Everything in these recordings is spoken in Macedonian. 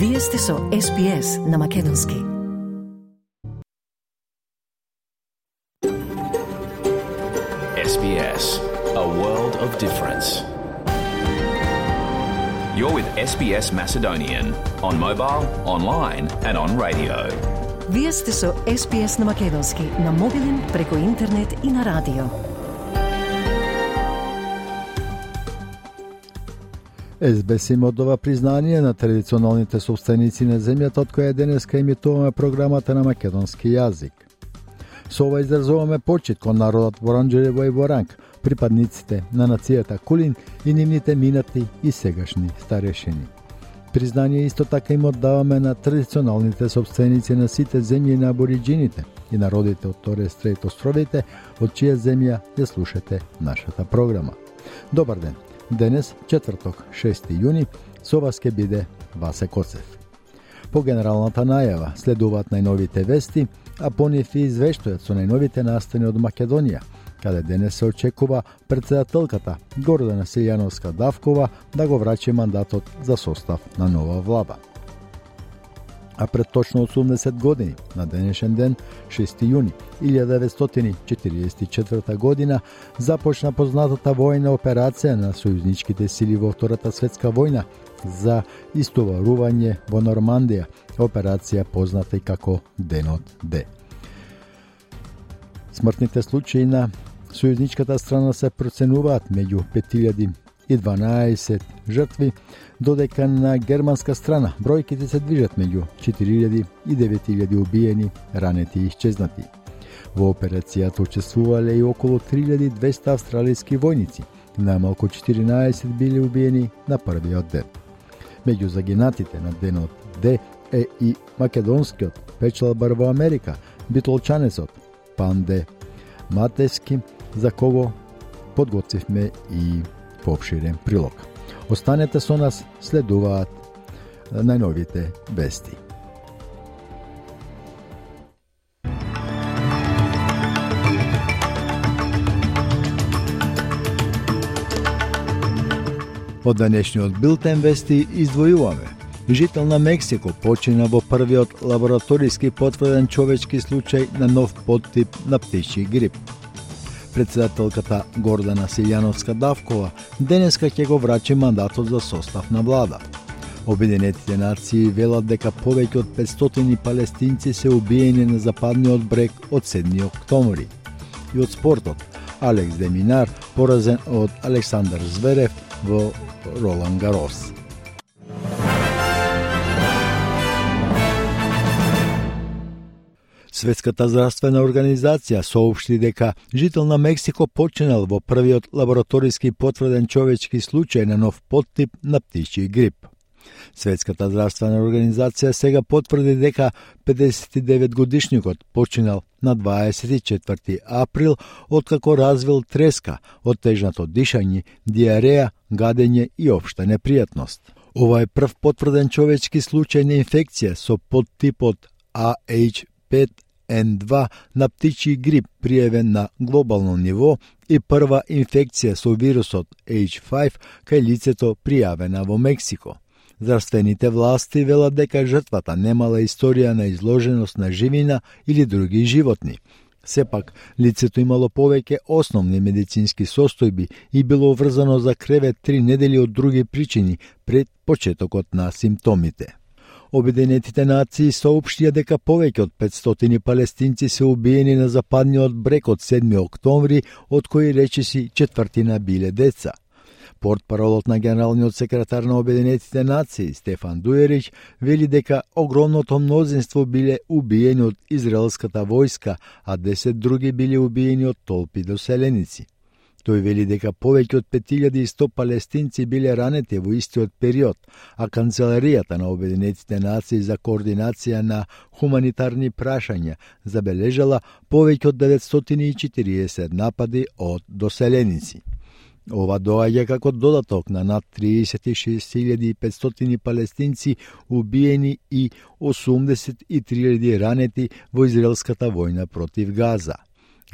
Вие сте со SPS на Македонски. SBS, a world of difference. You're with SBS Macedonian on mobile, online and on radio. Вие сте со SPS на Македонски на мобилен, преку интернет и на радио. СБС им оддава признание на традиционалните собственици на земјата од која денеска емитуваме програмата на македонски јазик. Со ова изразуваме почит кон народот Воранџерево и Воранг, припадниците на нацијата Кулин и нивните минати и сегашни старешини. Признание исто така им оддаваме на традиционалните собственици на сите земји на абориџините и народите од Торес Стрейт островите, од чија земја ја слушате нашата програма. Добар ден! Денес, четврток, 6 јуни, со вас ќе биде Васе Коцев. По генералната најава следуваат најновите вести, а по нив и извештајот со најновите настани од Македонија, каде денес се очекува председателката Гордана Силјановска-Давкова да го врачи мандатот за состав на нова влада. А пред точно 80 години, на денешен ден, 6 јуни 1944 година, започна познатата војна операција на сојузничките сили во Втората светска војна за истоварување во Нормандија, операција позната и како Денот Д. Смртните случаи на сојузничката страна се проценуваат меѓу 5012 жртви, додека на германска страна бројките се движат меѓу 4000 и 9000 убиени, ранети и исчезнати. Во операцијата учествувале и околу 3200 австралијски војници, најмалку 14 били убиени на првиот ден. Меѓу загинатите на Денот Д е и македонскиот печалбар во Америка, битолчанецот Панде Матески, за кого подготвивме и поопширен прилог. Останете со нас, следуваат најновите вести. Од денешниот билтен вести издвојуваме. Жител на Мексико почина во првиот лабораториски потврден човечки случај на нов подтип на птичји грип. Председателката Гордана Силјановска-Давкова денеска ќе го врачи мандатот за состав на влада. Обединетите нации велат дека повеќе од 500 палестинци се убиени на западниот брег од 7 октомври. И од спортот, Алекс де Минар поразен од Александар Зверев во Ролан Гарос. Светската здравствена организација соопшти дека жител на Мексико починал во првиот лабораториски потврден човечки случај на нов подтип на птичји грип. Светската здравствена организација сега потврди дека 59-годишникот починал на 24 април откако развил треска, оттежнато дишање, диареја, гадење и општа непријатност. Ова е прв потврден човечки случај на инфекција со подтипот AH5N2 на птичји грип пријавен на глобално ниво и прва инфекција со вирусот H5 кај лицето пријавена во Мексико. Здравствените власти велат дека жртвата немала историја на изложеност на живина или други животни. Сепак, лицето имало повеќе основни медицински состојби и било врзано за кревет 3 недели од други причини пред почетокот на симптомите. Обединетите нации соопштија дека повеќе од 500 палестинци се убиени на западниот брег од 7 октомври, од кои речиси четвртина биле деца. Портпаролот на генералниот секретар на Обединетите нации Стефан Дуерич вели дека огромното мнозинство биле убиени од израелската војска, а 10 други биле убиени од толпи доселеници. Тој вели дека повеќе од 5100 палестинци биле ранети во истиот период, а Канцеларијата на Обединетите нации за координација на хуманитарни прашања забележала повеќе од 940 напади од доселеници. Ова доаѓа како додаток на над 36.500 палестинци убиени и 83.000 ранети во израелската војна против Газа.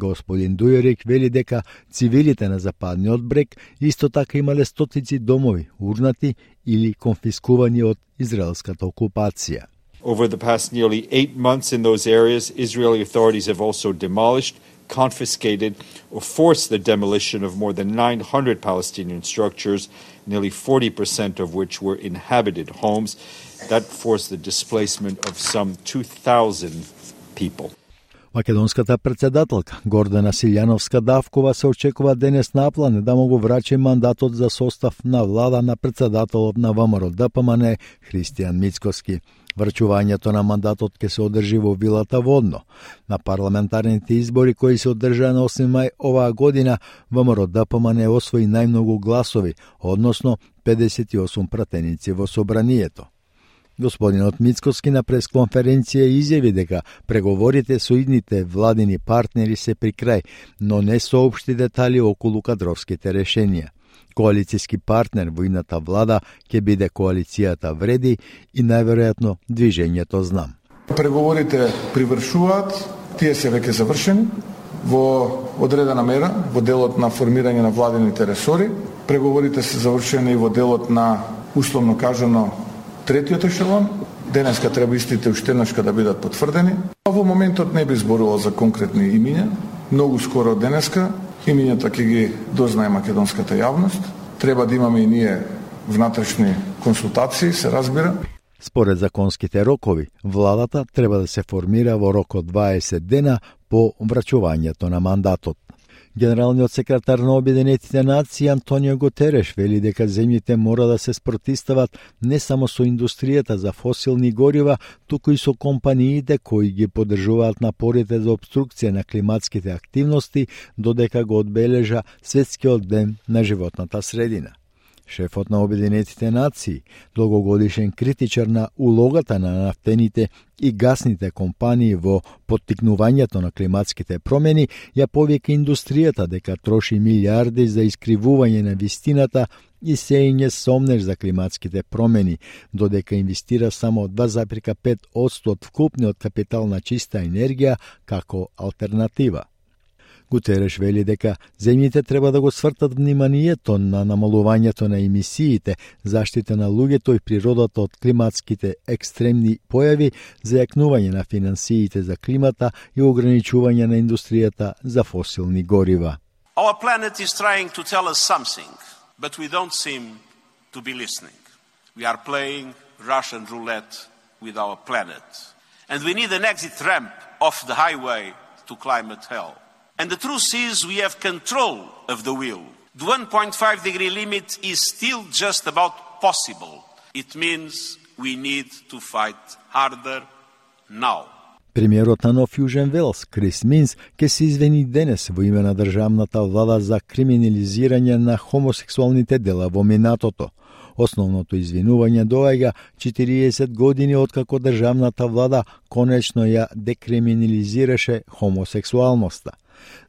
Господин Дујерик вели дека цивилите на Западниот брег исто така имале стотици домови урнати или конфискувани од израелската окупација. Over the past nearly 8 months in those areas, Israeli authorities have also demolished, confiscated, or forced the demolition of more than 900 Palestinian structures, nearly 40% of which were inhabited homes. That forced the displacement of some 2,000 people. Македонската претседателка Гордана Силјановска-Давкова се очекува денес наплане да му го врачи мандатот за состав на влада на претседателот на ВМРО-ДПМН Христијан Мицкоски. Врачувањето на мандатот ќе се одржи во вилата Водно. На парламентарните избори кои се одржаа на 8 мај оваа година, ВМРО-ДПМН освои најмногу гласови, односно 58 пратеници во собранието. Господинот Мицкоски на пресконференција изјави дека преговорите со идните владини партнери се при крај, но не соопшти детали околу кадровските решенија. Коалицијски партнер во идната влада ќе биде коалицијата Вреди и најверојатно движењето Знам. Преговорите привршуваат, тие се веќе завршени во одредена мера во делот на формирање на владините ресори. Преговорите се завршени во делот на условно кажано третиот ешелон. Денеска треба истите уште еднашка да бидат потврдени. Во моментот не би зборувал за конкретни имиња. Многу скоро денеска имињата ќе ги дознае македонската јавност. Треба да имаме и ние внатрешни консултации, се разбира. Според законските рокови, владата треба да се формира во рок од 20 дена по врачувањето на мандатот. Генералниот секретар на Обединетите нации Антонио Гутереш вели дека земјите мора да се спротивстават не само со индустријата за фосилни горива, туку и со компаниите кои ги поддржуваат напорите за обструкција на климатските активности, додека го одбележа Светскиот ден на животната средина. Шефот на Обединетите нации, долгогодишен критичар на улогата на нафтените и гасните компании во поттикнувањето на климатските промени, ја повика индустријата дека троши милиарди за искривување на вистината и сеење сомнеж за климатските промени, додека инвестира само 2,5% од вкупниот капитал на чиста енергија како алтернатива. Гутереш вели дека земјите треба да го свртат вниманието на намалувањето на емисиите, заштита на луѓето и природата од климатските екстремни појави, зајакнување на финансиите за климата и ограничување на индустријата за фосилни горива. Our planet is trying to tell us something, but we don't seem to be listening. We are playing Russian roulette with our planet. And we need an exit ramp off the highway to climate hell. And the truth is we have control of the wheel. The 1.5 degree limit is still just about possible. It means we need to fight harder now. Премиерот на Нов Јужен Велс, Крис Минс, ке се извини денес во име на државната влада за криминализирање на хомосексуалните дела во минатото. Основното извинување доаѓа 40 години откако државната влада конечно ја декриминализираше хомосексуалноста.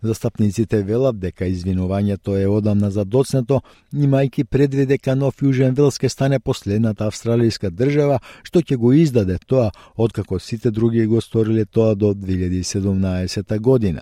Застапниците велат дека извинувањето е одамна задоцнето, имајќи предвид дека Нов Јужен Велс ке стане последната австралијска држава што ќе го издаде тоа, откако сите други го сториле тоа до 2017 година.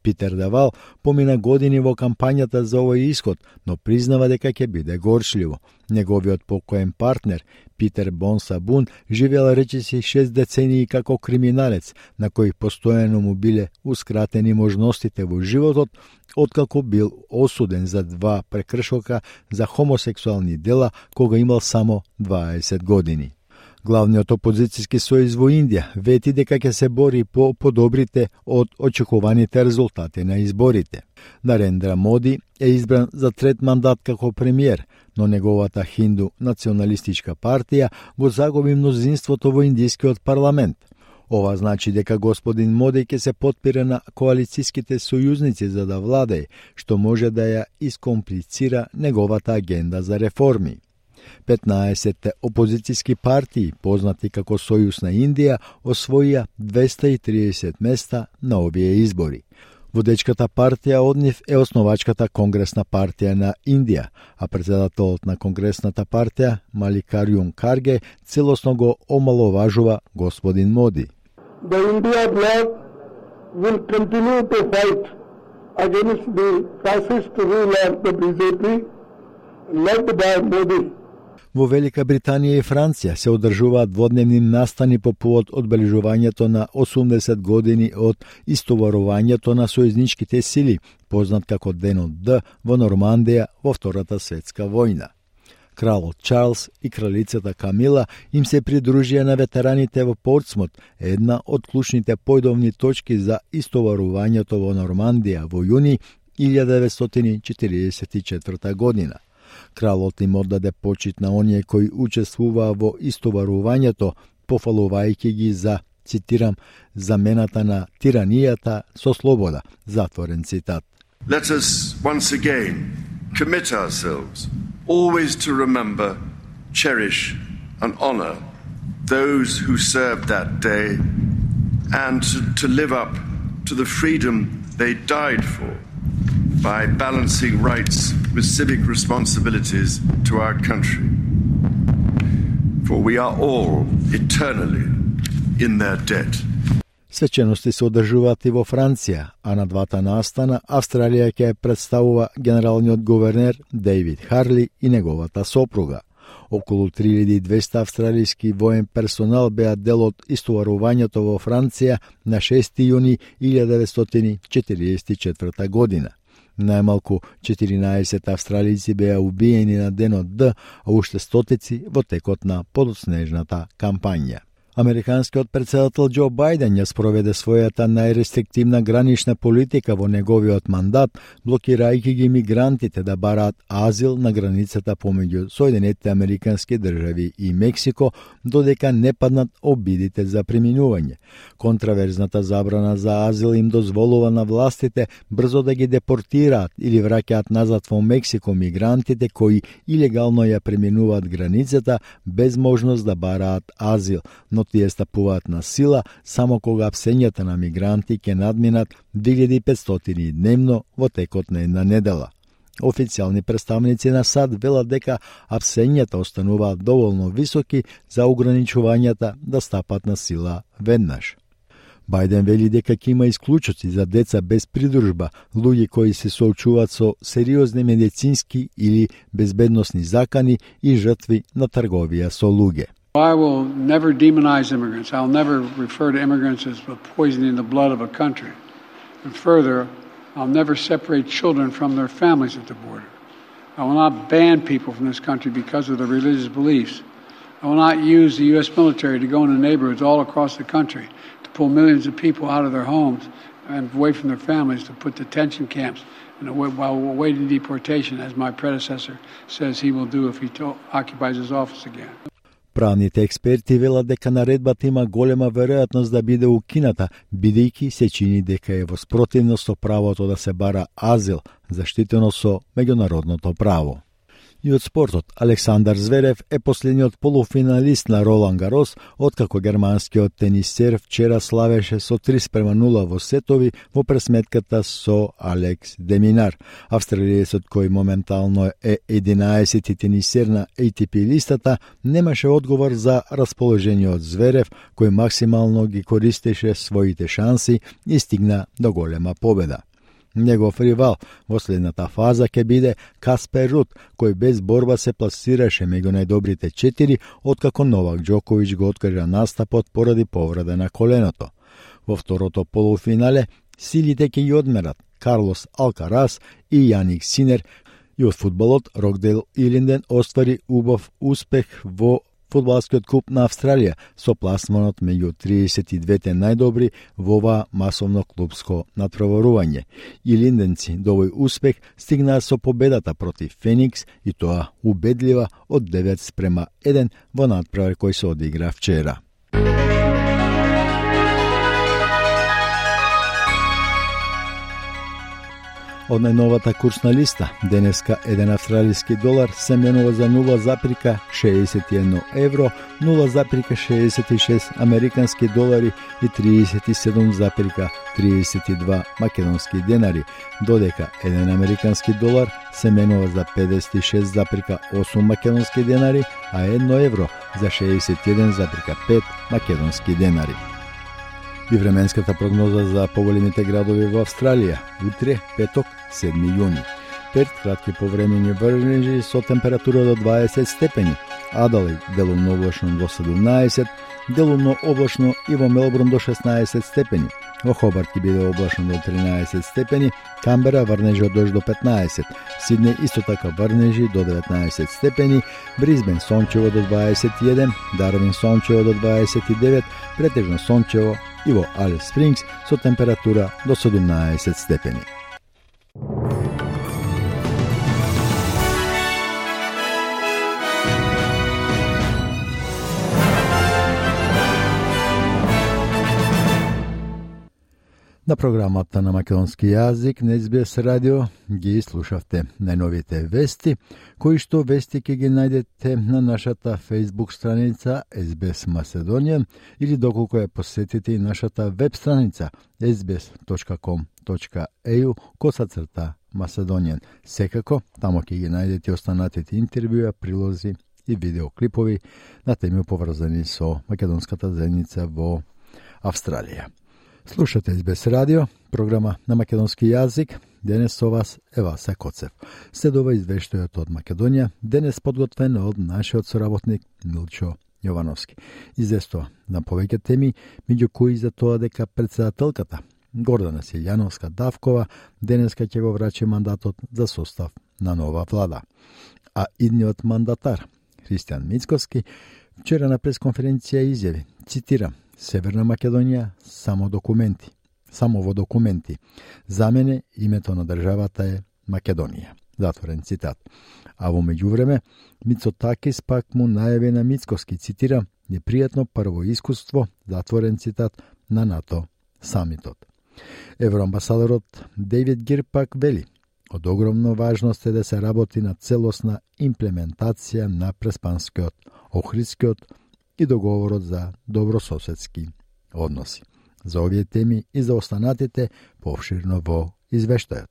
Питер Давал помина години во кампањата за овој исход, но признава дека ќе биде горчливо. Неговиот покоен партнер, Питер Бонсабун, живеел речиси 6 децении како криминалец, на кој постојано му билеускратени можностите во животот, откако бил осуден за 2 прекршока за хомосексуални дела кога имал само 20 години. Главниот опозицијски сојуз во Индија вети дека ќе се бори по подобрите од очекуваните резултати на изборите. Нарендра Моди е избран за трет мандат како премиер, но неговата хинду националистичка партија го загуби мнозинството во индискиот парламент. Ова значи дека господин Моди ќе се потпира на коалицијските сојузници за да владее, што може да ја искомплицира неговата агенда за реформи. 15 опозицијски партии, познати како Сојуз на Индија, освоија 230 места на овие избори. Водечката партија од нив е основачката Конгресна партија на Индија, а председателот на Конгресната партија, Маликарјун Карге, целосно го омаловажува господин Моди. The India bloc will continue to fight against the fascist rule of the BJP led by Modi. Во Велика Британија и Франција се одржуваат дводневни настани по повод одбележувањето на 80 години од истоварувањето на сојузничките сили, познат како Денот Д во Нормандија во Втората светска војна. Кралот Чарлс и кралицата Камила им се придружија на ветераните во Портсмут, една од клучните појдовни точки за истоварувањето во Нормандија во јуни 1944 година. Кралот им оддаде почит на оние кои учествуваа во истоварувањето, пофалувајќи ги за, цитирам, замената на тиранијата со слобода, затворен цитат. Let us once again commit ourselves always to remember, cherish and honor those who served that day and to live up to the freedom they died for by balancing rights with civic responsibilities to our country. For we are all eternally in their debt. Свечености се одржуваат и во Франција, а на двата настана Австралија ќе представува генералниот гувернер Дейвид Харли и неговата сопруга. Околу 3200 австралијски воен персонал беа дел од истоварувањето во Франција на 6 јуни 1944 година. Најмалку 14 австралици беа убиени на Денот Д, а уште стотици во текот на подоснежната кампања. Американскиот председател Џо Бајден ја спроведе својата најрестриктивна гранична политика во неговиот мандат, блокирајќи ги мигрантите да бараат азил на границата помеѓу Соединетите Американски држави и Мексико, додека не паднат обидите за преминување. Контраверзната забрана за азил им дозволува на властите брзо да ги депортираат или враќаат назад во Мексико мигрантите кои илегално ја преминуваат границата без можност да бараат азил, но тие стапуваат на сила само кога апсењата на мигранти ќе надминат 2500 дневно во текот на една недела. Официјални представници на САД велат дека апсењата остануваат доволно високи за ограничувањата да стапат на сила веднаш. Бајден вели дека ќе има исклучоци за деца без придружба, луѓе кои се соочуваат со сериозни медицински или безбедносни закани и жртви на трговија со луѓе. I will never demonize immigrants. I'll never refer to immigrants as poisoning the blood of a country. And further, I'll never separate children from their families at the border. I will not ban people from this country because of their religious beliefs. I will not use the U.S. military to go into neighborhoods all across the country to pull millions of people out of their homes and away from their families to put detention camps while awaiting deportation, as my predecessor says he will do if he occupies his office again. Правните експерти велат дека наредбата има голема веројатност да биде укината, бидејќи се чини дека е во спротивност со правото да се бара азил, заштитено со меѓународното право. И од спортот, Александар Зверев е последниот полуфиналист на Ролан Гарос, откако германскиот тенисер вчера славеше со 3:0 во сетови во пресметката со Алекс Деминар. Австралиецот, кој моментално е 11-ти тенисер на ATP листата, немаше одговор за расположениот Зверев, кој максимално ги користеше своите шанси и стигна до голема победа. Негов ривал во следната фаза ќе биде Каспер Руд, кој без борба се пласираше меѓу најдобрите 4, откако Новак Џоковиќ го откажа настапот поради повреда на коленото. Во второто полуфинале силите ќе ги одмерат Карлос Алкарас и Јаник Синер, и од фудбалот Рокдейл Илинден оствари убав успех во фудбалскиот куп на Австралија со пласманот меѓу 32-те најдобри во ова масовно клубско натпреварување. И линденци до овој успех стигнаа со победата против Феникс и тоа убедлива од 9:1 во натпревар кој се одигра вчера. Од најновата курсна листа, денеска еден австралиски долар се менува за 0,61 евро, 0,66 американски долари и 37,32 македонски денари, додека еден американски долар се менува за 56,8 македонски денари, а 1 евро за 61,5 македонски денари. И временската прогноза за поголемите градови во Австралија. Утре, петок, 7 јуни. Перт кратки повремени врнежи со температура до 20 степени. Аделаид делумно облачно до 17, делумно облачно и во Мелбурн до 16 степени. Во Хобарт ќе биде облачно до 13 степени, Камбера врнежи од дожд до 15, Сиднеј исто така врнежи до 19 степени, Брисбен сончево до 21, Дарвин сончево до 29, претежно сончево и во Алис Спрингс со температура до 17 степени. На програмата на македонски јазик на SBS радио ги слушавте најновите вести, кои што вести ќе ги најдете на нашата Facebook страница SBS Macedonian или доколку ја посетите и нашата веб страница sbs.com.au/Macedonian. Секако, тамо ќе ги најдете останатите интервјуа, прилози и видеоклипови на теми поврзани со македонската заедница во Австралија. Слушате SBS радио, програма на македонски јазик. Денес со вас е Васа Коцев. Следува извештајот од Македонија, денес подготвен од нашиот соработник Милчо Јовановски. Известува на повеќе теми, меѓу кои за тоа дека председателката Гордана Силјановска Давкова денеска ќе го врачи мандатот за состав на нова влада. А идниот мандатар Христијан Мицкоски вчера на пресконференција изјави, цитирам: Северна Македонија само во документи. За мене името на државата е Македонија. Затворен цитат. А во меѓувреме Мицотакис пак му најави на Мицкоски, цитирам: непријатно прво искуство, затворен цитат, на НАТО самитот. Евроамбасадорот Дейвид Гир пак вели: од огромна важност е да се работи на целосна имплементација на Преспанскиот, Охридскиот и договорот за добрососедски односи. За овие теми и за останатите повширно во извештајот.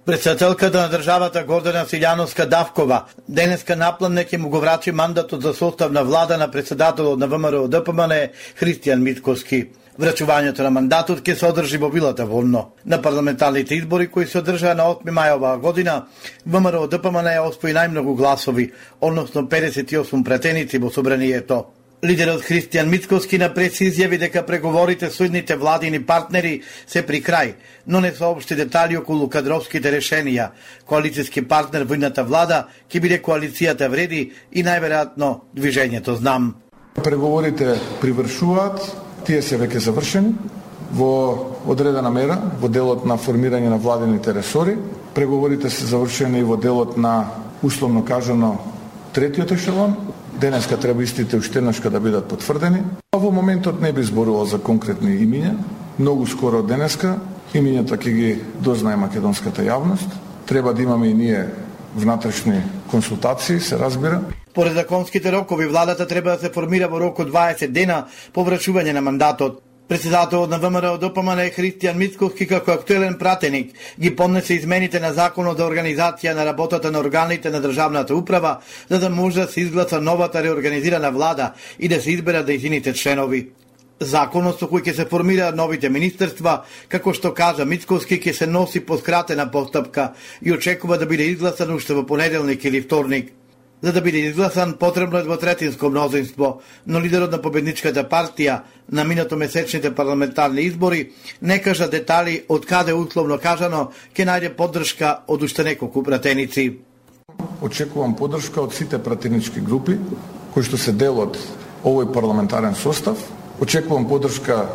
Председателката на државата Гордана Силјановска Давкова денеска напланне ќе му го врачи мандатот за состав на влада на председателот на ВМРО ДПМН Христијан Мицкоски. Врачувањето на мандатот ќе се одржи во Вилата Волно. На парламентарните избори кои се одржаа на 8 мај оваа година, ВМРО ДПМН освои најмногу гласови, односно 58 пратеници во собранието. Лидерот Христијан Мицкоски на прес изјави дека преговорите со идните владини партнери се при крај, но не соопшти детали околу кадровските решенија. Коалицијски партнер во идната влада ќе биде коалицијата Вреди и најверојатно Движењето Знам. Преговорите привршуваат, тие се веќе завршени во одредена мера во делот на формирање на владините ресори. Преговорите се завршени во делот на, условно кажано, третиот ешелон. Денеска треба истите уште еднашка да бидат потврдени. А во моментот не би зборувал за конкретни имиња. Многу скоро денеска имињата ќе ги дознае македонската јавност. Треба да имаме и ние внатрешни консултации, се разбира. Поред законските рокови, владата треба да се формира во рок од 20 дена по врачување на мандатот. Председателот на ВМРО ДПМН Христијан Мицкоски како актуелен пратеник ги поднесе измените на Законот за организација на работата на органите на државната управа, за да може да се изгласа новата реорганизирана влада и да се изберат нејзините членови. Законот со кој ќе се формираат новите министерства, како што кажа Мицкоски, ќе се носи по скратена постапка и очекува да биде изгласан уште во понеделник или вторник. За да биде изгласан, потребно е двотретинско мнозинство, но лидерот на победничката партија на минатомесечните парламентарни избори не кажа детали од каде условно кажано ќе најде поддршка од уште неколку пратеници. Очекувам поддршка од сите пратенички групи кои што се дел од овој парламентарен состав. Очекувам поддршка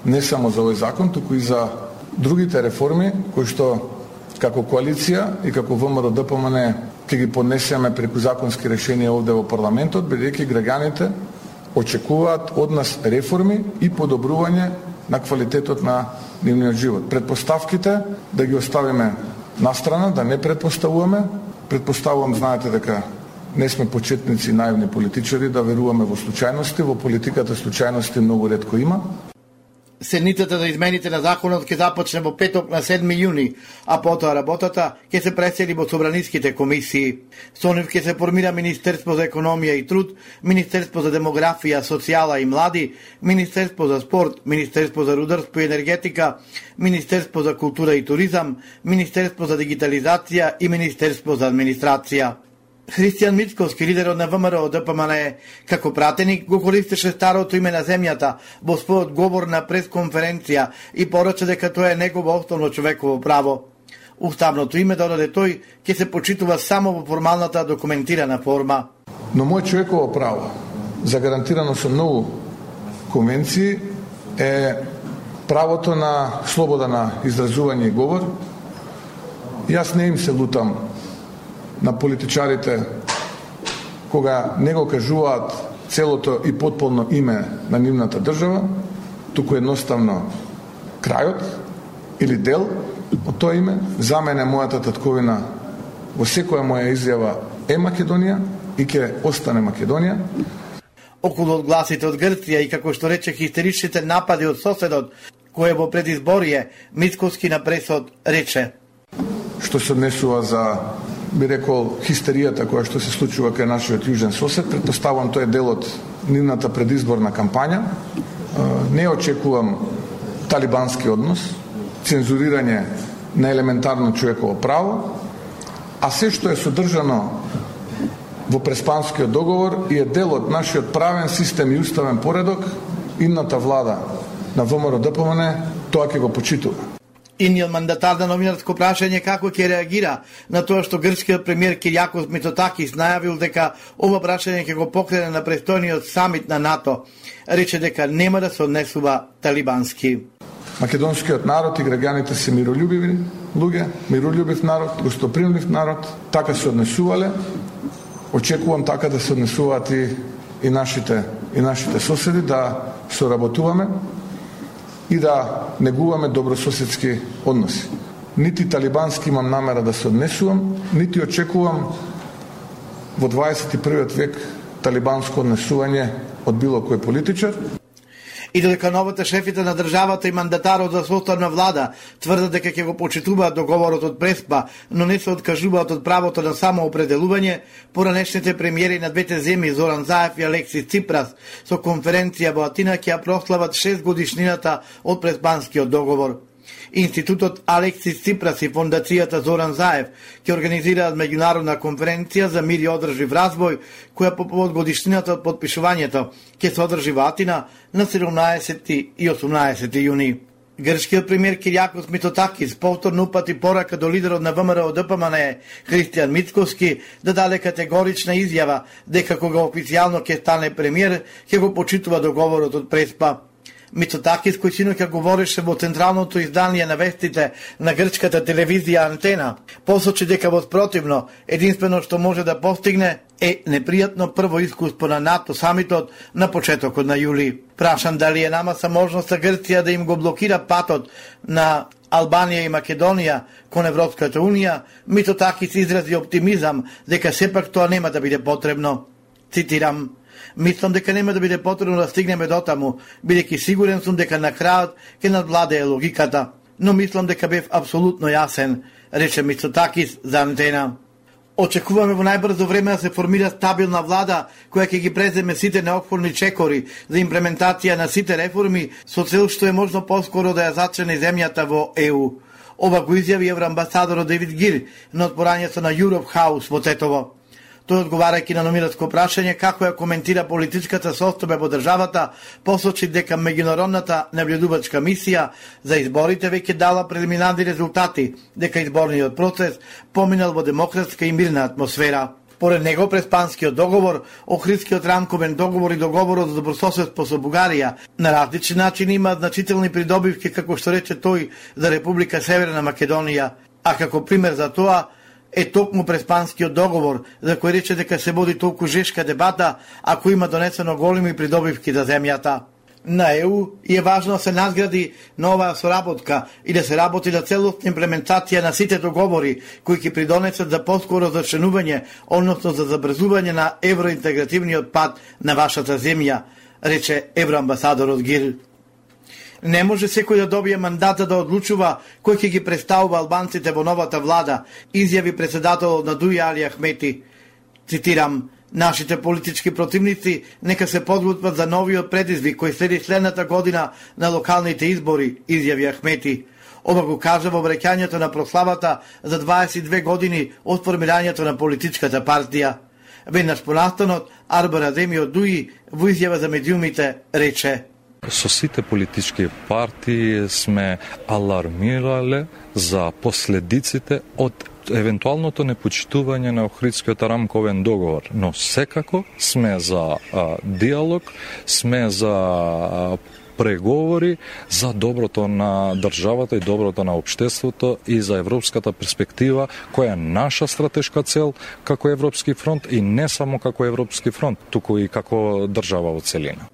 не само за овој закон, туку и за другите реформи кои што како коалиција и како ВМРО ДПМН ќе ги поднесеме преку законски решенија овде во парламентот, бидејќи граѓаните очекуваат од нас реформи и подобрување на квалитетот на нивниот живот. Предпоставките да ги оставиме настрана, да не предпоставуваме. Предпоставувам, знаете дека не сме почетници наивни политичари, да веруваме во случајности, во политиката случајности многу ретко има. Седницата за измените на законот ќе започне во петок на 7 јуни, а потоа работата ќе се пресели во собраниските комисии. Со нив ќе се формира Министерство за економија и труд, Министерство за демографија, социјала и млади, Министерство за спорт, Министерство за рударство и енергетика, Министерство за култура и туризам, Министерство за дигитализација и Министерство за администрација. Христијан Мицковски, лидерот на ВМРО ДПМНЕ, како пратеник го користеше старото име на земјата во својот говор на пресконференција и порача дека тоа е негово основно човеково право. Уставното име додаде тој ќе се почитува само во формалната документирана форма. Но мој човеково право, загарантирано со многу конвенции, е правото на слобода на изразување и говор. Јас не им се лутам на политичарите кога не го кажуваат целото и потполно име на нивната држава, туку едноставно крајот или дел од тоа име. За мене мојата татковина во секоја моја изјава е Македонија и ќе остане Македонија. Околу одгласите од Грција и, како што рече, хистеричните напади од соседот, кој во предизборие, Мицковски на пресот рече: што се однесува за, би рекол, хистеријата која што се случува кај нашиот јужен сосед, претпоставувам тоа е дел од нивната предизборна кампања. Не очекувам талибански однос, цензурирање на елементарно човеково право, а се што е содржано во Преспанскиот договор и е дел од нашиот правен систем и уставен поредок, идната влада на ВМРО ДПМНЕ тоа ќе го почитува. Иниот мандатар на новинарско прашање како ќе реагира на тоа што грчкиот премиер Кириакос Мицотакис најавил дека ова прашање ќе го покрене на престојниот самит на НАТО, рече дека нема да се однесува талибански. Македонскиот народ и граѓаните се миролюбиви луѓе, миролюбив народ, гостопримлив народ, така се однесувале. Очекувам така да се однесуваат и нашите соседи, да соработуваме и да негуваме добрососедски односи. Нити талибански имам намера да се однесувам, нити очекувам во 21. век талибанско однесување од било кој политичар. И додека новата шефите на државата и мандатарот за составна влада тврдат дека ќе го почитуваат договорот од Преспа, но не се откажуваат од правото на самоопределување, поранешните премиери на двете земји Зоран Заев и Алексис Ципрас со конференција во Атина ќе ја прослават 6 годишнината од Преспанскиот договор. Институтот Алексис Ципрас и фондацијата Зоран Заев ќе организираат меѓународна конференција за мир и одржлив развој, која по повод годишнината од подпишувањето ќе се одржи во Атина на 17 и 18 јуни. Грчкиот премиер Кириакос Мицотакис повторно упати порака до лидерот на ВМРО ДПМНЕ Христијан Мицковски да даде категорична изјава дека кога официјално ќе стане премиер ќе го почитува договорот од Преспа. Мицотакис, кој синоќа говореше во централното издание на вестите на грчката телевизија Антена, посочи дека во спротивно, единствено што може да постигне е непријатно прво искуство на НАТО самитот на почетокот на јули. Прашан дали е намаса можноста Грција да им го блокира патот на Албанија и Македонија кон Европската Унија, Мицотакис изрази оптимизам дека сепак тоа нема да биде потребно. Цитирам: "Мислам дека нема да биде потребно да стигнеме до таму, бидејќи сигурен сум дека на крајот ќе надвладее логиката, но мислам дека бев апсолутно јасен", рече Мицотакис за Антена. Очекуваме во најбрзо време да се формира стабилна влада која ќе ги преземе сите неопходни чекори за имплементација на сите реформи со цел што е можно поскоро да ја зачне земјата во ЕУ. Ова го изјави евроамбасадорот Девид Гир на отпорањето на Europe House во Тетово. Тој, одговарајќи на номинатско прашање како ја коментира политичката состојба во државата, посочи дека меѓународната наблюдувачка мисија за изборите веќе дала прелиминарни резултати, дека изборниот процес поминал во демократска и мирна атмосфера. Поред него, Преспанскиот договор, Охридскиот рамковен договор и договорот за добрососедство со Бугарија на различни начини имаат значителни придобивки, како што рече тој, за Република Северна Македонија, а како пример за тоа е токму Преспанскиот договор, за кој рече дека се води толку жешка дебата, ако има донесено големи придобивки за земјата. На ЕУ е важно да се надгради на оваа соработка и да се работи на целосна имплементација на сите договори кои ќе придонесат за поскоро зачленување, односно за забрзување на евроинтегративниот пат на вашата земја, рече евроамбасадорот Гир. Не може секој да добие мандата да одлучува кој ќе ги представува албанците во новата влада, изјави председателот на Дуи Али Ахмети. Цитирам: "Нашите политички противници нека се подготват за новиот предизвик кој следи следната година на локалните избори", изјави Ахмети. Ова го кажа во враќањето на прославата за 22 години од формирањето на политичката партија. Веднаш понастанот, Арбар Адеми од Дуи во изјава за медиумите рече: "Со сите политички партии сме алармирале за последиците од евентуалното непочитување на Охридскиот рамковен договор, но секако сме за диалог, сме за преговори за доброто на државата и доброто на општеството и за европската перспектива, која е наша стратешка цел како Европски фронт и не само како Европски фронт, туку и како држава во целина."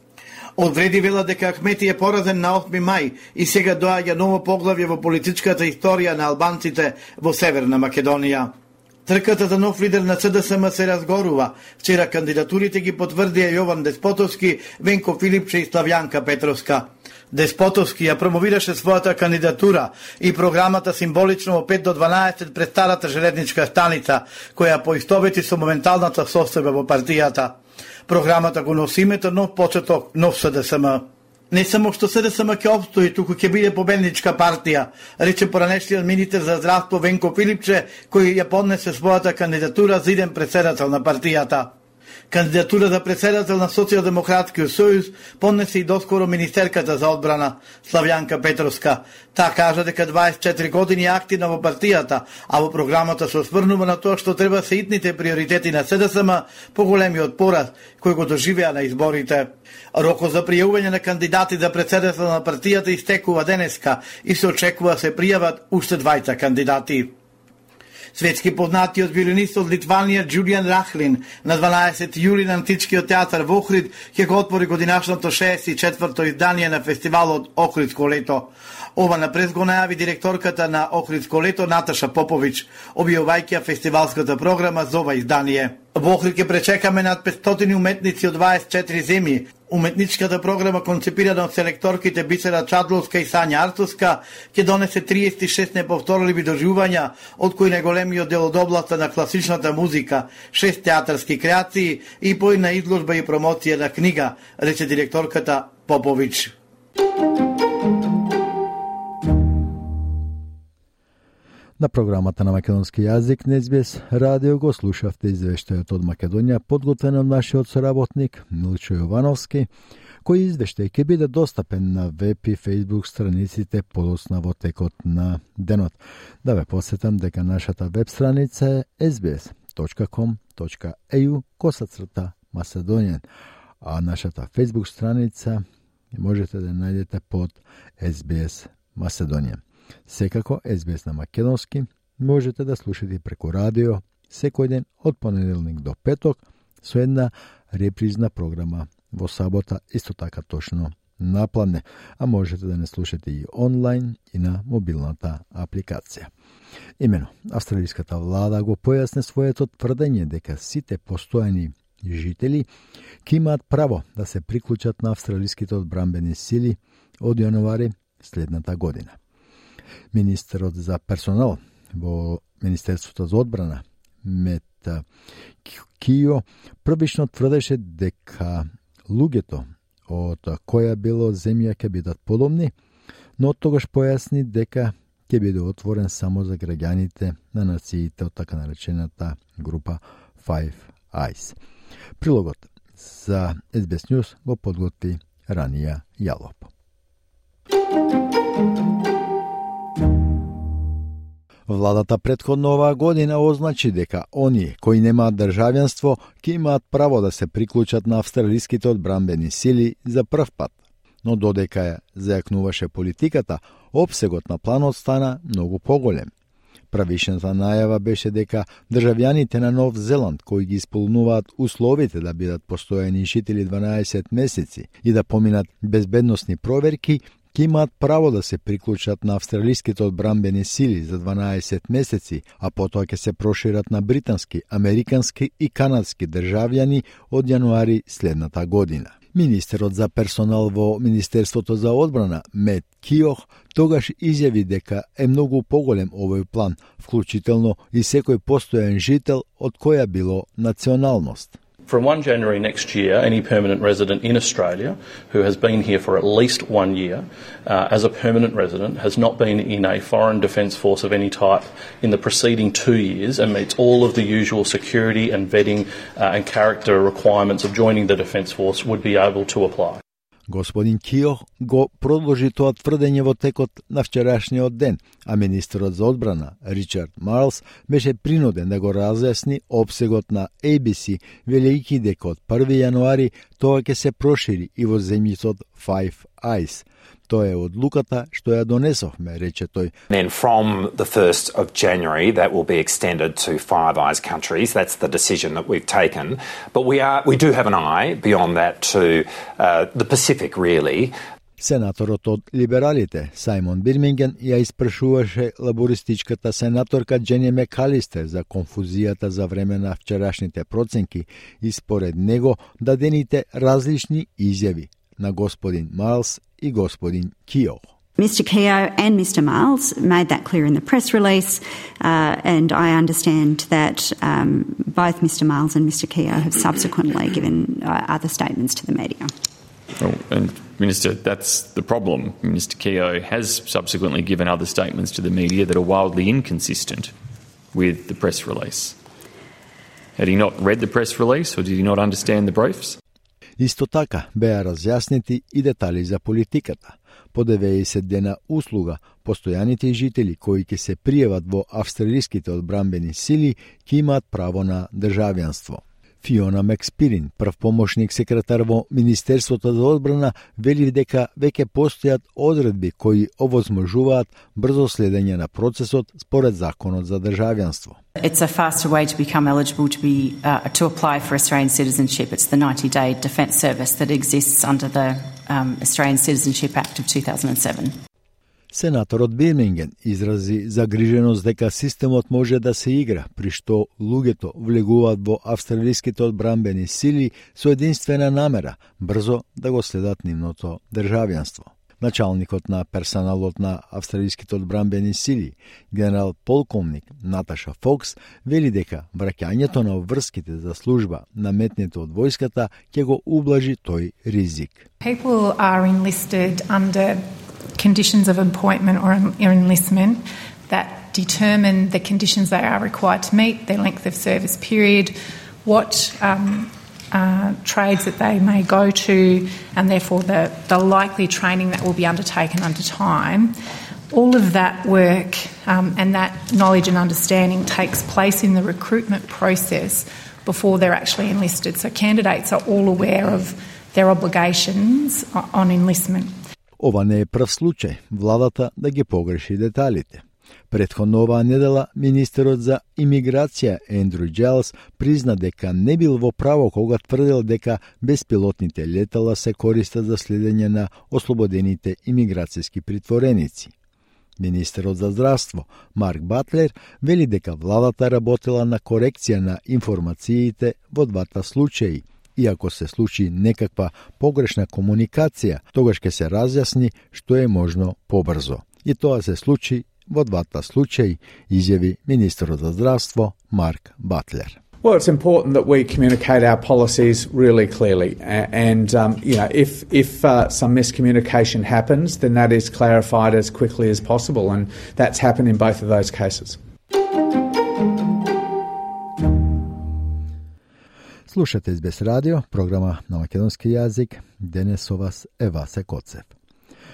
Одвреди вела дека Ахмети е поразен на 8 мај и сега доаѓа ново поглавје во политичката историја на албанците во Северна Македонија. Трката за нов лидер на СДСМ се разгорува. Вчера кандидатурите ги потврдија Јован Деспотовски, Венко Филипче и Славјанка Петровска. Деспотовски ја промовираше својата кандидатура и програмата символично во 5 до 12 пред старата железничка станица, која поистовети со моменталната состојба во партијата. Програмата го носи името Нов почеток, нов СДСМ. Не само што СДСМ ќе опстои, туку ќе биде победничка партија, рече поранешниот министер за здравство Венко Филипче, кој ја поднесе својата кандидатура за иден председател на партијата. Кандидатура за председател на Социјалдемократскиот сојуз поднесе и доскоро министерката за одбрана Славјанка Петровска. Таа кажа дека 24 години е активна во партијата, а во програмата се осврнува на тоа што треба се итните приоритети на СДСМ по големиот пораз кој го доживеа на изборите. Рокот за пријавување на кандидати за председател на партијата истекува денеска и се очекува се пријават уште 20 кандидати. Светски познатиот виолинист од Литванија Џулијан Рахлин на 12 јули на Античкиот театар во Охрид ќе го отвори годинашното 64-то издание на фестивалот Охридско лето. Ова напред го најави директорката на Охридско лето Наташа Поповиќ, објавувајќи фестивалската програма за ова издание. Во Охрид ќе пречекаме над 500 уметници од 24 земји. Уметничката програма, концепирана од селекторките Бисера Чадловска и Сања Артовска, ќе донесе 36 неповторливи доживувања, од кои најголемиот дел од областа на класичната музика, 6 театарски креации и по една изложба и промоција на книга, рече директорката Поповиќ. На програмата на македонски јазик на SBS радио го слушавте извештајот од Македонија, подготвен од нашиот соработник Милчо Јовановски, кој извештај ќе биде достапен на веб и Facebook страниците подоцна во текот на денот. Да ве посетам дека нашата веб страница е sbs.com.au/Macedonian, а нашата Facebook страница можете да најдете под SBS Macedonian. Секако, SBS на македонски можете да слушате преку радио секој ден од понеделник до петок со една репризна програма во сабота исто така точно напладне, а можете да не слушате и онлайн и на мобилната апликација. Имено, австралиската влада го појасне своето тврдење дека сите постојани жители ќе имаат право да се приклучат на австралиските одбранбени сили од јануари следната година. Министерот за персонал во Министерството за одбрана Мет Кио првично тврдеше дека луѓето од која било земја ќе бидат подобни, но тогаш појасни дека ќе биде отворен само за граѓаните на нациите од така наречената група Five Eyes. Прилогот за SBS News го подготви Ранија Јалоп. Владата претходно оваа година означи дека оние кои немаат државјанство ќе имаат право да се приклучат на австралиските одбранбени сили за прв пат. Но додека ја зајакнуваше политиката, опсегот на планот стана многу поголем. Правишната најава беше дека државјаните на Нов Зеланд кои ги исполнуваат условите да бидат постојани жители 12 месеци и да поминат безбедносни проверки, ќе имаат право да се приклучат на австралиските одбранбени сили за 12 месеци, а потоа ќе се прошират на британски, американски и канадски државјани од јануари следната година. Министерот за персонал во Министерството за одбрана Мет Киох тогаш изјави дека е многу поголем овој план, вклучително и секој постојан жител од која било националност. From 1 January next year, any permanent resident in Australia who has been here for at least 1 year as a permanent resident, has not been in a foreign defence force of any type in the preceding 2 years and meets all of the usual security and vetting and character requirements of joining the defence force would be able to apply. Господин Кио го продолжи тоа тврдење во текот на вчерашниот ден, а министерот за одбрана Ричард Марлс беше принуден да го разјасни опсегот на ABC, велејќи дека од 1 јануари тоа ќе се прошири и во земјицот Five Eyes. Тоа е одлуката што ја донесовме, рече тој. Then from the 1st of January that will be extended to Five Eyes countries. That's the decision that we've taken. But we do have an eye beyond that to the Pacific really. Сенаторот од либералите Сајмон Бирминген ја испрашуваше лабористичката сенаторка Джени Мекалистер за конфузијата за време на вчерашните проценки и според него дадените различни изјави на господин Марлс и господин Кио. Mr. Keogh and Mr. Miles made that clear in the press release, and I understand that both Mr. Miles and Mr. Keogh have subsequently given other statements to the media. Well, and Minister, that's the problem. Mr. Keogh has subsequently given other statements to the media that are wildly inconsistent with the press release. Had he not read the press release, or did he not understand the briefs? Исто така беа разјаснети и детали за политиката. По 90 дена услуга, постојаните жители кои ќе се пријават во австралиските одбранбени сили ќе имаат право на државјанство. Фиона Макспирин, прв помошник секретар во Министерството за одбрана, вели дека веќе постојат одредби кои овозможуваат брзо следење на процесот според законот за државјанство. It's a faster way to become eligible to apply for Australian citizenship. It's the 90-day defence service that exists under the Australian Citizenship Act of 2007. Сенаторот Бирминген изрази загриженост дека системот може да се игра, при што луѓето влегуваат во австралиските одбранбени сили со единствена намера брзо да го следат нивното државјанство. Началникот на персоналот на австралиските одбранбени сили, генерал полковник Наташа Фокс, вели дека враќањето на обврските за служба наметнете од војската ќе го ублажи тој ризик. People are enlisted under conditions of appointment or enlistment that determine the conditions they are required to meet, their length of service period, what trades that they may go to, and therefore the likely training that will be undertaken under time. All of that work and that knowledge and understanding takes place in the recruitment process before they're actually enlisted. So candidates are all aware of their obligations on enlistment. Ова не е прв случај владата да ги погреши деталите. Претходно оваа недела министерот за имиграција Ендрю Джайлс призна дека не бил во право кога тврдел дека беспилотните летала се користат за следење на ослободените имиграцијски притвореници. Министерот за здравство Марк Батлер вели дека владата работела на корекција на информациите во двата случаи. И ако се случи некаква погрешна комуникација, тогаш ќе се разјасни што е можно побрзо. И тоа се случи во двата случаи, изјави министерот за здравство Марк Батлер. Well, it's important that we communicate our policies really clearly, and if some miscommunication happens, then that is clarified as quickly as possible, and that's happened in both of those cases. Слушате СБС радио, програма на македонски јазик. Денес со вас е Васе Коцев.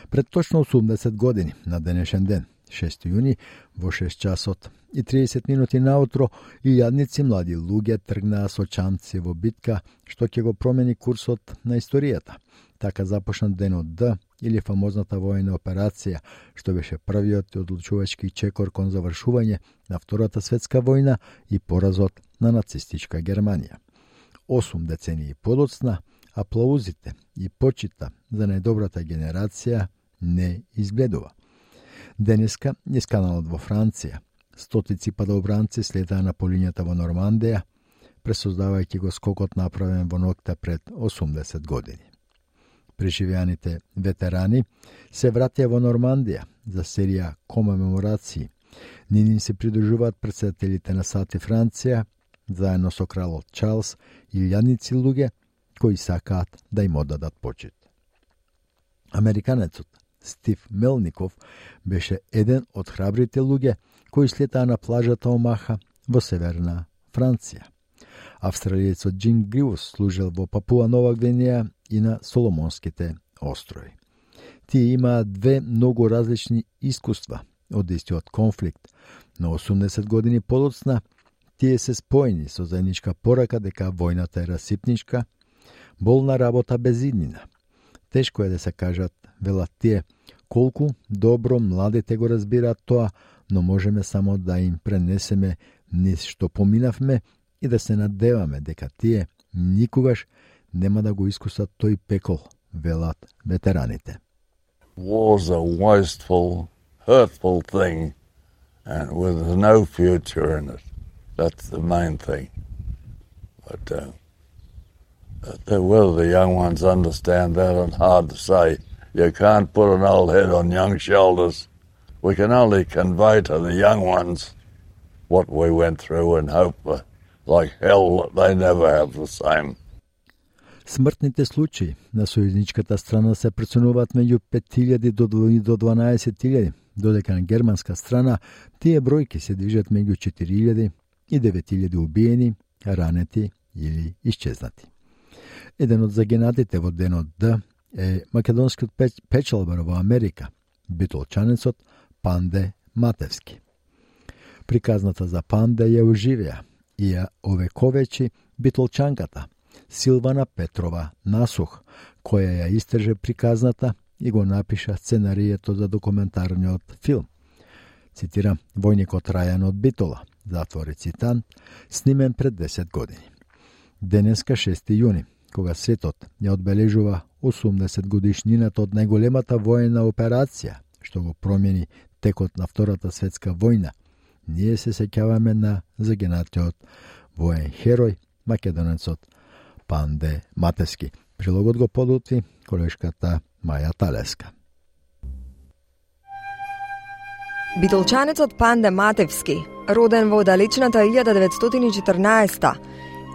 Пред точно 80 години, на денешен ден, 6 јуни, во 6 часот и 30 минути наутро, илјадници млади луѓе тргнаа со чамци во битка што ќе го промени курсот на историјата. Така започна денот Д, или фамозната војна операција, што беше првиот и одлучувачки чекор кон завршување на Втората светска војна и поразот на нацистичка Германија. 8 децении подоцна, аплаузите и почита за најдобрата генерација не изгледува. Денеска низ каналот во Франција, стотици падобранци слетаа на полињата во Нормандија, пресоздавајќи го скокот направен во ноќта пред 80 години. Преживеаните ветерани се вратија во Нормандија за серија комеморации. Нини се придружуваат претседателите на САД и Франција, заедно со кралот Чарлс и илјадници луѓе кои сакаат да им одадат почит. Американецот Стив Мелников беше еден од храбрите луѓе кои слетаа на плажата Омаха во северна Франција. Австралиецот Джин Гривус служел во Папуа Нова Гвинеја и на Соломонските острови. Тие имаат две многу различни искуства од истиот конфликт, но 80 години подоцна тие се споени со заедничка порака дека војната е расипничка, болна работа без иднина. Тешко е да се кажат, велат тие, колку добро младите го разбираат тоа, но можеме само да им пренесеме низ што поминавме и да се надеваме дека тие никогаш нема да го искусат тој пекол, велат ветераните. War's a wasteful, hurtful thing and with no future in it. That's the main thing. But whether the young ones understand that is hard to say. You can't put an old head on young shoulders. We can only convey to the young ones what we went through and hope like hell they never have the same. Смртните случаи на сојузничката страна се проценуваат меѓу 5.000 до 12.000, додека на германска страна тие бројки се движат меѓу 4.000 и 9.000 убиени, ранети или исчезнати. Еден од загинатите во денот Д е македонскиот печалбар во Америка, битолчанецот Панде Матевски. Приказната за Панде ја оживеа и ја овековечи битолчанката Силвана Петрова Насух, која ја истрже приказната и го напиша сценарието за документарниот филм. Цитирам, војникот Рајан од Битола, затвори цитан, снимен пред 10 години. Денеска 6. јуни, кога светот ја одбележува 80 годишнината од најголемата воена операција, што го промени текот на Втората светска војна, ние се сеќаваме на загинатиот воен херој, македонецот Панде Матевски. Прилогот го подготви колешката Маја Талеска. Битолчанецот Панде Матевски, роден во далечната 1914,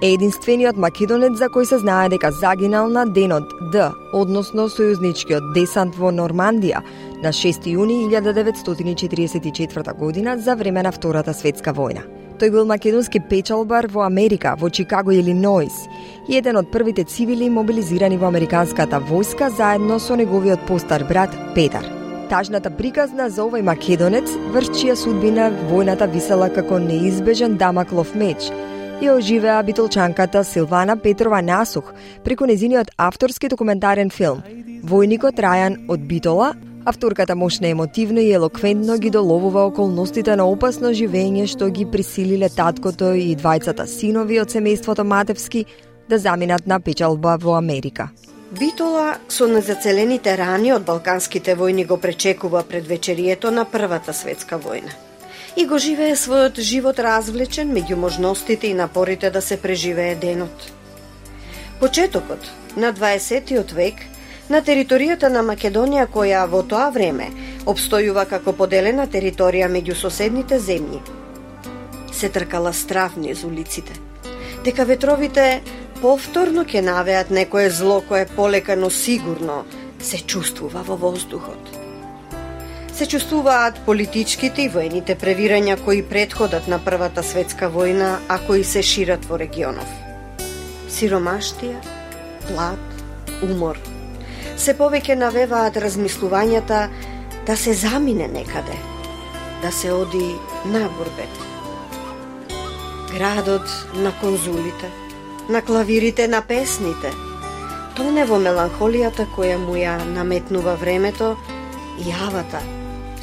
е единствениот македонец за кој се знае дека загинал на денот Д, односно сојузничкиот десант во Нормандија на 6 јуни 1944 година за време на Втората светска војна. Тој бил македонски печалбар во Америка, во Чикаго, Илиноис, и еден од првите цивили мобилизирани во американската војска заедно со неговиот постар брат Петар. Тажната приказна за овој македонец, врз чија судбина војната висела како неизбежен дамаклов меч, ја оживеа битолчанката Силвана Петрова Насух преку незиниот авторски документарен филм Војникот Рајан од Битола. Авторката мощно емотивно и елоквентно ги доловува околностите на опасно живење што ги присилиле таткото и двајцата синови од семејството Матевски да заминат на печалба во Америка. Битола со незацелените рани од балканските војни го пречекува пред вечерието на Првата светска војна. И го живее својот живот развлечен меѓу можностите и напорите да се преживее денот. Почетокот на 20. век на територијата на Македонија, која во тоа време обстојува како поделена територија меѓу соседните земји, се тркала страв низ улиците, дека ветровите повторно ќе навеат некое зло кое полека но сигурно се чувствува во воздухот. Се чувствуваат политичките и воените превирања кои претходат на Првата светска војна, а кои се шират во регионов. Сиромаштија, глад, умор се повеќе навеваат размислувањата да се замине некаде, да се оди на бурбет. Градот на конзулите, на клавирите, на песните, тоне во меланхолијата која му ја наметнува времето и јавата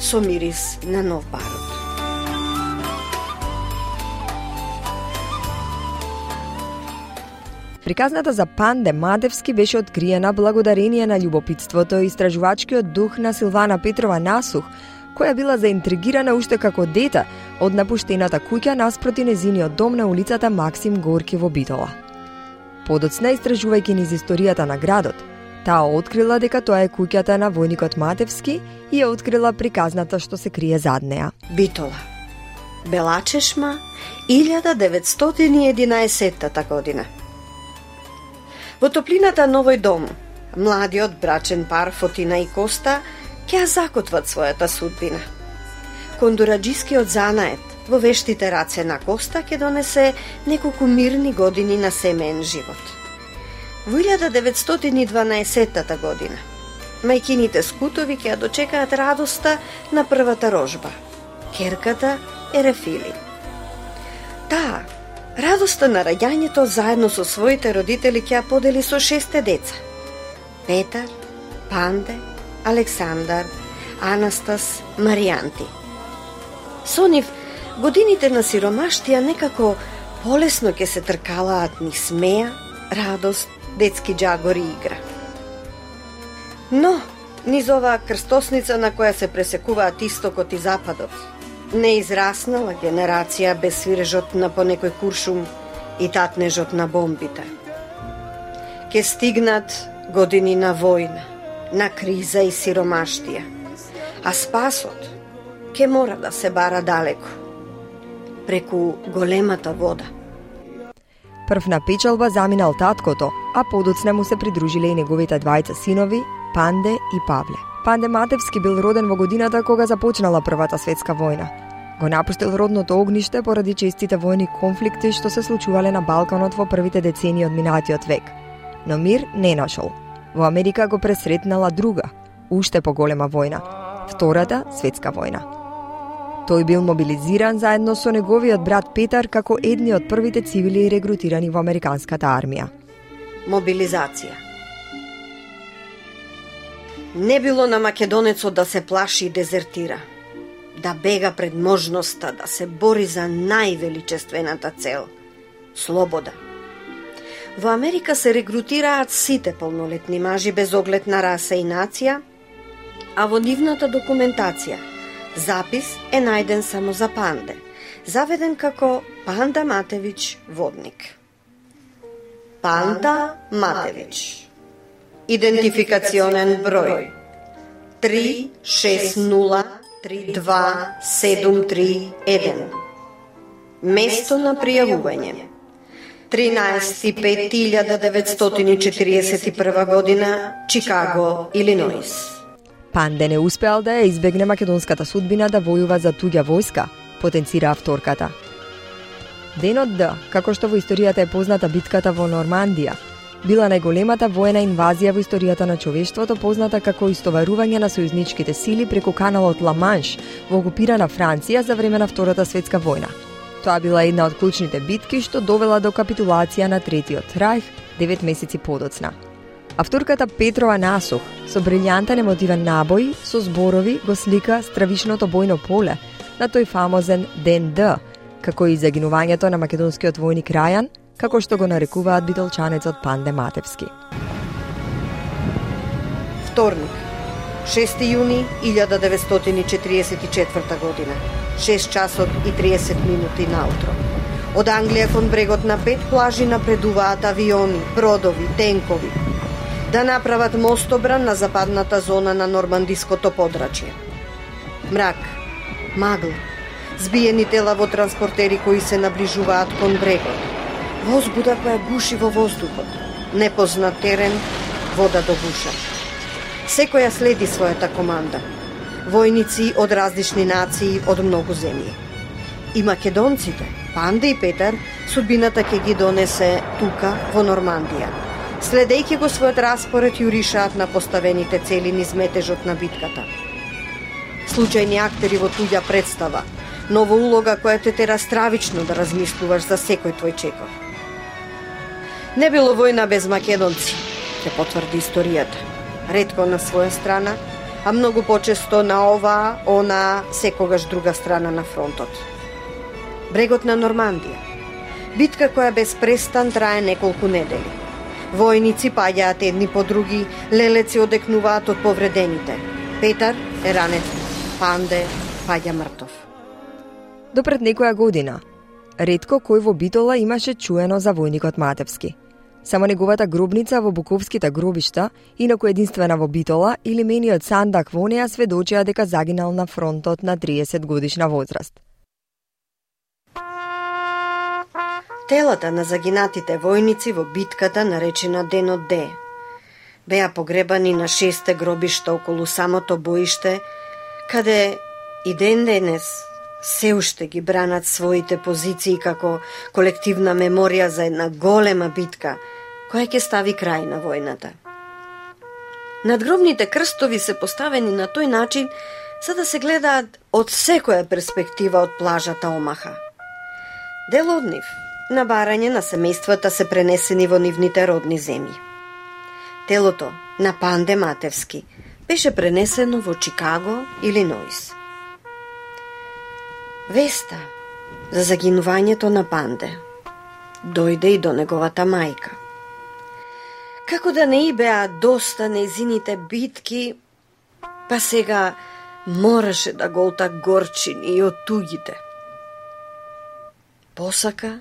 со мирис на нов барут. Приказната за Панде Матевски беше откриена благодарение на љубопитството и истражувачкиот дух на Силвана Петрова Насух, која била заинтригирана уште како дете од напуштената куќа наспроти незиниот дом на улицата Максим Горки во Битола. Подоцна, истражувајќи низ историјата на градот, Таа открила дека тоа е куќата на војникот Матевски и ја открила приказната што се крие зад неа. Битола. Белачешма, 1911 година. Во топлината на овој дом, младиот брачен пар Фотина и Коста ќе ја закотват својата судбина. Кондураджискиот занает во вештите раце на Коста ќе донесе неколку мирни години на семеен живот. Во 1912 година, мајкините Скутови ќе ја дочекаат радоста на првата рожба, керката Ерефили. Таа, радоста на раѓањето заедно со своите родители ќе ја подели со 6 деца. Петар, Панде, Александар, Анастас, Маријанти. Со нив, годините на сиромаштија некако полесно ќе се тркалаат низ смеја, радост, детски џагори и игра. Но, низ оваа крстосница на која се пресекуваат истокот и западот, не израснала генерација без свирежот на понекој куршум и татнежот на бомбите. Ке стигнат години на војна, на криза и сиромаштија, а спасот ке мора да се бара далеко, преку големата вода. Прв на печалба заминал таткото, а подоцна му се придружиле и неговите двајца синови, Панде и Павле. Панде Матевски бил роден во годината кога започнала Првата светска војна. Го напуштил родното огниште поради честите војни конфликти што се случувале на Балканот во првите децении од минатиот век. Но мир не нашол. Во Америка го пресретнала друга, уште поголема војна, Втората светска војна. Тој бил мобилизиран заедно со неговиот брат Петар како едни од првите цивили регрутирани во американската армија. Мобилизација. Не било на македонецот да се плаши и дезертира, да бега пред можноста да се бори за највеличествената цел – слобода. Во Америка се регрутираат сите полнолетни мажи без оглед на раса и нација, а во нивната документација запис е најден само за Панде, заведен како Панда Матевич водник. Панда Матевич. Идентификационен број 360327331. Место на пријавување 13.5.1941 година, Чикаго, Илиноис. Панде не успеал да ја избегне македонската судбина да војува за туѓа војска, потенцира авторката. Денот Д, како што во историјата е позната битката во Нормандија, била најголемата воена инвазија во историјата на човештвото, позната како истоварување на сојузничките сили преку каналот Ла-Манш во окупирана Франција за време на Втората светска војна. Тоа била една од клучните битки што довела до капитулација на Третиот рајх 9 месеци подоцна. Авторката Петрова Насух со брилјантен емотивен набој со зборови го слика стравишното бојно поле на тој фамозен Ден Д, како и загинувањето на македонскиот војник Рајан, како што го нарекуваат битолчанецот Панде Матевски. Вторник, 6 јуни 1944 година, 6 часот и 30 минути наутро. Од Англија кон брегот на 5 плажи напредуваат авиони, бродови, тенкови, да направат мостобран на западната зона на нормандиското подрачје. Мрак, магла, збиени тела во транспортери кои се наближуваат кон брегот, возбуда која гуши во воздухот, непознат терен, вода до гуша. Секоја следи својата команда. Војници од различни нации од многу земји. И македонците, Панде и Петар, судбината ќе ги донесе тука во Нормандија. Следејќи го својот распоред јуришаат на поставените цели низ метежот на битката. Случајни актери во туѓа представа, нова улога која те тера стравично да размислуваш за секој твој чекор. Не било војна без македонци, ќе потврди историјата. Ретко на своја страна, а многу почесто на оваа, она, секогаш друга страна на фронтот. Брегот на Нормандија. Битка која без престан трае неколку недели. Војници паѓаат едни по други, лелеци одекнуваат од повредените. Петар е ранет, Панде паѓа мртов. Допред некоја година, ретко кој во Битола имаше чуено за војникот Матевски. Само неговата гробница во Буковските гробишта, инаку единствена во Битола, или мениот сандак во неа сведочија дека загинал на фронтот на 30 годишна возраст. Телата на загинатите војници во битката наречена Денот Д беа погребани на 6 гробишта околу самото боиште, каде и ден денес се уште ги бранат своите позиции како колективна меморија за една голема битка која ќе стави крај на војната. Надгробните крстови се поставени на тој начин за да се гледаат од секоја перспектива од плажата Омаха. Дел од нив на барање на семејствата се пренесени во нивните родни земји. Телото на Панде Матевски беше пренесено во Чикаго, Илиноис. Веста за загинувањето на Панде дојде и до неговата мајка. Како да не и беа доста нејзините битки, па сега мораше да голта горчини и од тугите. Посака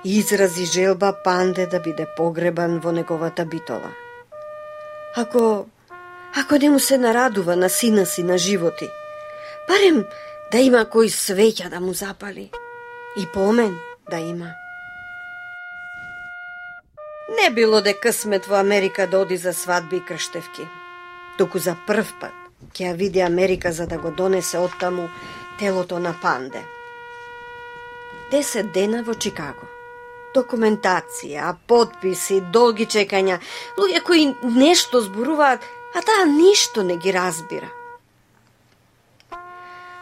и изрази желба Панде да биде погребан во неговата Битола. Ако не му се нарадува на сина си на животи, барем да има кој свеќа да му запали и помен да има. Не било де късмет во Америка да оди за свадби и крштевки, туку за прв пат ќе ја види Америка за да го донесе оттаму телото на Панде. 10 дена во Чикаго. Документација, подписи, долги чекања, луѓе кои нешто зборуваат, а таа ништо не ги разбира.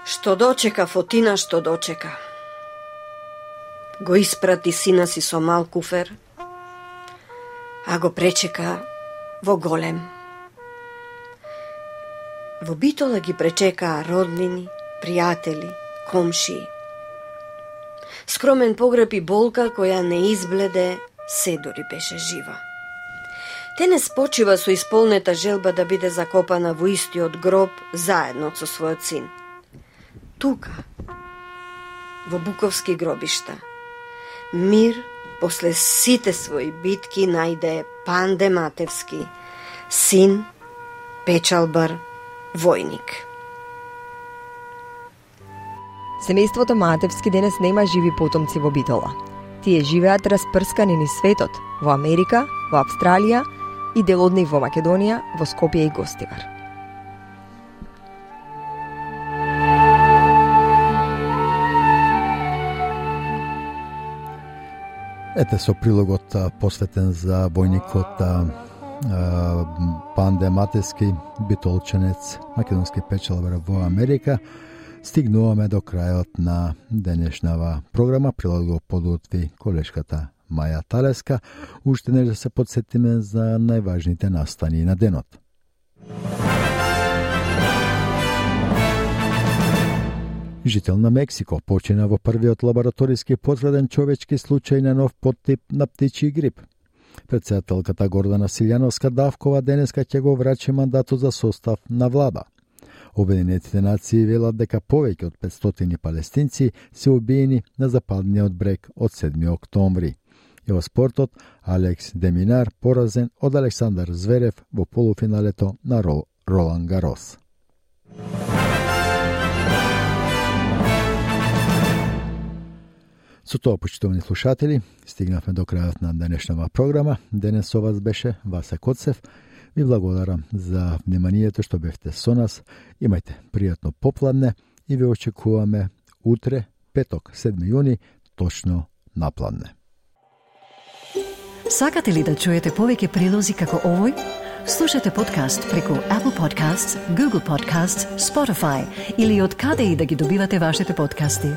Што дочека Фотина, што дочека. Го испрати сина си со мал куфер, а го пречека во голем. Во Битола ги пречекаа роднини, пријатели, комшии. Скромен погреб и болка која не избледе, се дори беше жива. Денес почива со исполнета желба да биде закопана во истиот гроб заедно со својот син. Тука, во Буковски гробишта, мир после сите своји битки најде Панде Матевски, син, печалбар, војник. Семејството Матевски денес нема живи потомци во Битола. Тие живеат распрскани низ светот, во Америка, во Австралија и дел од нив во Македонија, во Скопје и Гостивар. Ете со прилогот посветен за војникот Панде Матевски, битолчанец, македонски печалбар во Америка, стигнуваме до крајот на денешнава програма. Прилог го подготви колешката Маја Талеска. Уште не да се подсетиме за најважните настани на денот. Жител на Мексико почина во првиот лабораториски потврден човечки случај на нов подтип на птичји грип. Председателката Гордана Силјановска Давкова денеска ќе го врачи мандатот за состав на влада. Обединетите нации велат дека повеќе од 500 палестинци се убиени на западниот брег од 7 октомври. И во спортот, Алекс Деминар поразен од Александар Зверев во полуфиналето на Ролан Гарос. Со тоа, почитувани слушатели, стигнавме до крајот на денешнава програма. Денес со вас беше Васе Коцев. Ви благодарам за вниманието што бевте со нас. Имајте пријатно попладне и ви очекуваме утре, петок, 7 јуни, точно на пладне. Сакате ли да чуете повеќе прилози како овој? Слушате подкаст преку Apple Podcasts, Google Podcasts, Spotify или од каде и да ги добивате вашите подкасти.